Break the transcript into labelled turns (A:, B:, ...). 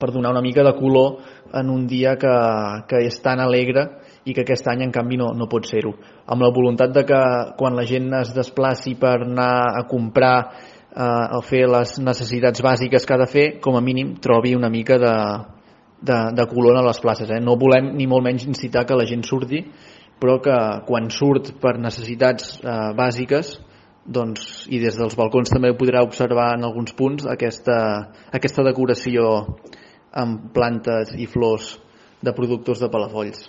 A: per donar una mica de color en un dia que és tan alegre i que aquest any en canvi no pot ser-ho, amb la voluntat de que quan la gent es desplaci per anar a comprar o fer les necessitats bàsiques que ha de fer, com a mínim trobi una mica de color a les places. No volem ni molt menys incitar que la gent surti, però que quan surt per necessitats bàsiques, doncs, i des dels balcons també ho podrà observar en alguns punts, aquesta decoració amb plantes i flors de productors de Palafolls.